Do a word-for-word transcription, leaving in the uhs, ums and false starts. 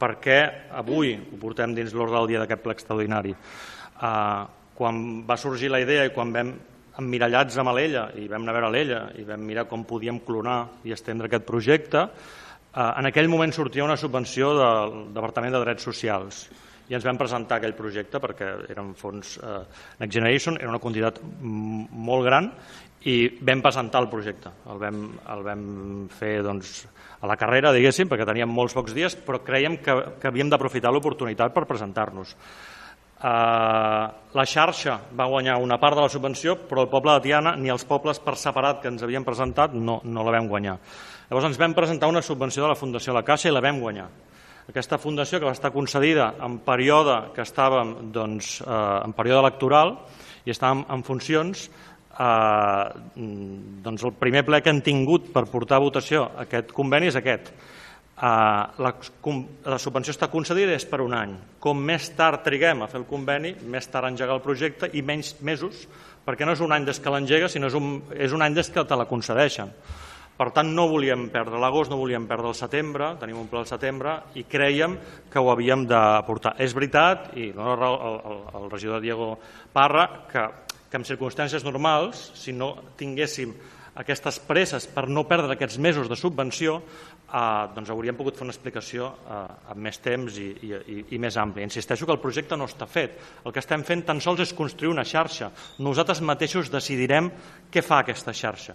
perquè avui ho portem dins l'ordre del dia d'aquest ple extraordinari. Quan va sorgir la idea i quan vam emmirallats amb l'Ella i vam anar a veure l'Ella i vam mirar com podíem clonar i estendre aquest projecte, en aquell moment sortia una subvenció del Departament de Drets Socials i ens vam presentar aquell projecte perquè eren fons Next Generation, era una quantitat molt gran i vam presentar el projecte. El vam, el vam fer doncs, a la carrera, diguéssim, perquè teníem molts pocs dies, però creiem que, que havíem d'aprofitar l'oportunitat per presentar-nos. Uh, la xarxa va guanyar una part de la subvenció, però el poble de Tiana ni els pobles per separat que ens havien presentat no, no la vam guanyar. Llavors ens vam presentar una subvenció de la Fundació La Caixa i la vam guanyar. Aquesta fundació, que va estar concedida en període que estàvem doncs, uh, en període electoral i estàvem en funcions, uh, doncs el primer ple que han tingut per portar a votació aquest conveni és aquest. Uh, la, la subvenció està concedida és per un any. Com més tard triguem a fer el conveni, més tard engegar el projecte i menys mesos, perquè no és un any des que l'engega, sinó és un, és un any des que te la concedeixen. Per tant, no volíem perdre l'agost, no volíem perdre el setembre, tenim un ple al setembre i crèiem que ho havíem de portar. És veritat, i el, el, el regidor Diego Parra, que, que en circumstàncies normals, si no tinguéssim aquestes presses per no perdre aquests mesos de subvenció, eh, doncs hauríem pogut fer una explicació eh, amb més temps i, i, i més àmplia. Insisteixo que el projecte no està fet. El que estem fent tan sols és construir una xarxa. Nosaltres mateixos decidirem què fa aquesta xarxa.